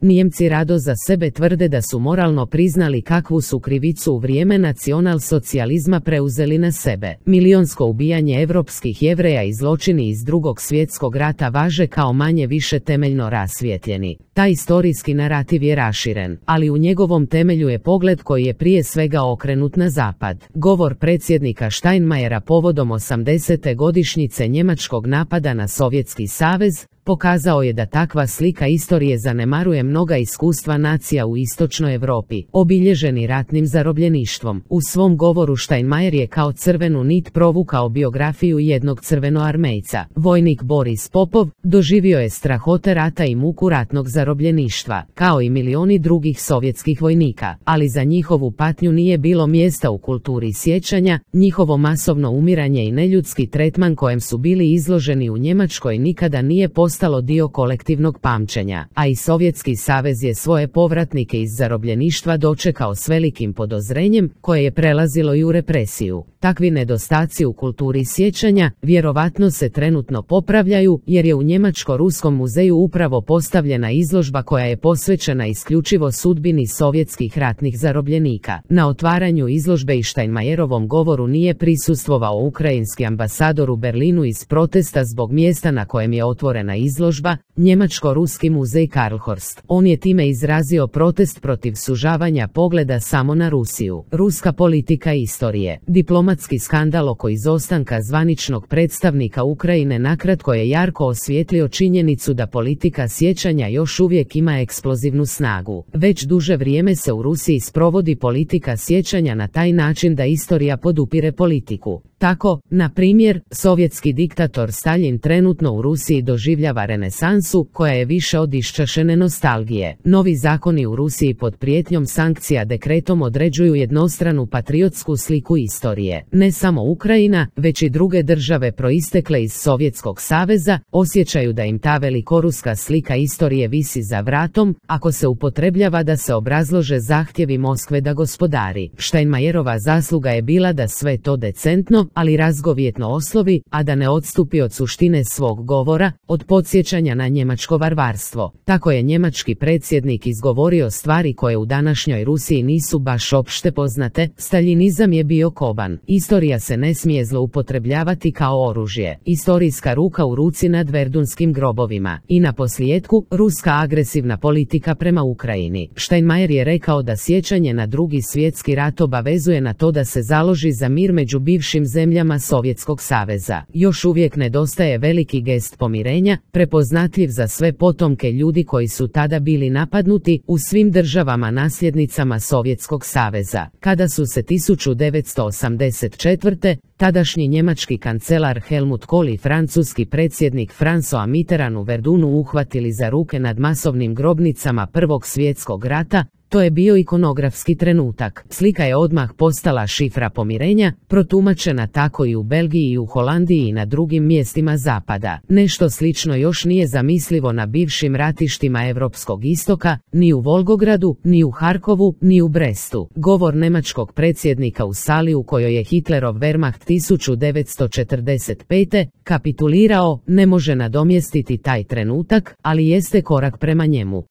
Nijemci rado za sebe tvrde da su moralno priznali kakvu su krivicu u vrijeme nacionalsocijalizma preuzeli na sebe. Milionsko ubijanje evropskih Jevreja i zločini iz Drugog svjetskog rata važe kao manje više temeljno rasvijetljeni. Taj historijski narativ je raširen, ali u njegovom temelju je pogled koji je prije svega okrenut na zapad. Govor predsjednika Steinmeiera povodom 80. godišnjice njemačkog napada na Sovjetski savez pokazao je da takva slika istorije zanemaruje mnoga iskustva nacija u istočnoj Europi, obilježeni ratnim zarobljeništvom. U svom govoru Steinmeier je kao crvenu nit provukao biografiju jednog crvenoarmejca. Vojnik Boris Popov doživio je strahote rata i muku ratnog zarobljeništva, kao i milioni drugih sovjetskih vojnika, ali za njihovu patnju nije bilo mjesta u kulturi sjećanja. Njihovo masovno umiranje i neljudski tretman kojem su bili izloženi u Njemačkoj nikada nije postalo dio kolektivnog pamćenja, a i Sovjetski savez je svoje povratnike iz zarobljeništva dočekao s velikim podozrenjem koje je prelazilo i u represiju. Takvi nedostaci u kulturi sjećanja vjerovatno se trenutno popravljaju jer je u Njemačko-Ruskom muzeju upravo postavljena izložba koja je posvećena isključivo sudbini sovjetskih ratnih zarobljenika. Na otvaranju izložbe i Steinmeierovom govoru nije prisustvovao ukrajinski ambasador u Berlinu iz protesta zbog mjesta na kojem je otvorena izložba, Njemačko-Ruski muzej Karlhorst. On je time izrazio protest protiv sužavanja pogleda samo na Rusiju. Ruska politika istorije. Diplomatski skandal oko izostanka zvaničnog predstavnika Ukrajine nakratko je jarko osvijetlio činjenicu da politika sjećanja još uvijek ima eksplozivnu snagu. Već duže vrijeme se u Rusiji sprovodi politika sjećanja na taj način da istorija podupire politiku. Tako, na primjer, sovjetski diktator Staljin trenutno u Rusiji doživljava renesansu koja je više od iščašene nostalgije. Novi zakoni u Rusiji pod prijetnjom sankcija dekretom određuju jednostranu patriotsku sliku istorije. Ne samo Ukrajina, već i druge države proistekle iz Sovjetskog saveza osjećaju da im ta velikoruska slika istorije visi za vratom, ako se upotrebljava da se obrazlože zahtjevi Moskve da gospodari. Steinmeierova zasluga je bila da sve to decentno, ali razgovjetno oslovi, a da ne odstupi od suštine svog govora, od podsjećanja na njemačko varvarstvo. Tako je njemački predsjednik izgovorio stvari koje u današnjoj Rusiji nisu baš opšte poznate. Staljinizam je bio koban. Istorija se ne smije zloupotrebljavati kao oružje. Istorijska ruka u ruci nad verdunskim grobovima. I na posljetku, ruska agresivna politika prema Ukrajini. Steinmeier je rekao da sjećanje na Drugi svjetski rat obavezuje na to da se založi za mir među bivšim zemljama Sovjetskog saveza. Još uvijek nedostaje veliki gest pomirenja, prepoznatljiv za sve potomke ljudi koji su tada bili napadnuti u svim državama nasljednicama Sovjetskog saveza. Kada su se 1984. tadašnji njemački kancelar Helmut Kohl i francuski predsjednik François Mitterrand u Verdunu uhvatili za ruke nad masovnim grobnicama Prvog svjetskog rata, to je bio ikonografski trenutak. Slika je odmah postala šifra pomirenja, protumačena tako i u Belgiji i u Holandiji i na drugim mjestima zapada. Nešto slično još nije zamislivo na bivšim ratištima Europskog istoka, ni u Volgogradu, ni u Harkovu, ni u Brestu. Govor njemačkog predsjednika u sali u kojoj je Hitlerov Wehrmacht 1945. kapitulirao ne može nadomjestiti taj trenutak, ali jeste korak prema njemu.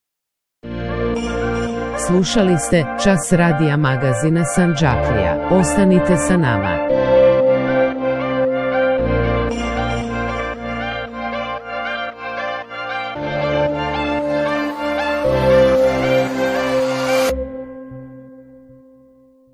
Slušali ste Čas radija magazina Sandžaklija. Ostanite sa nama.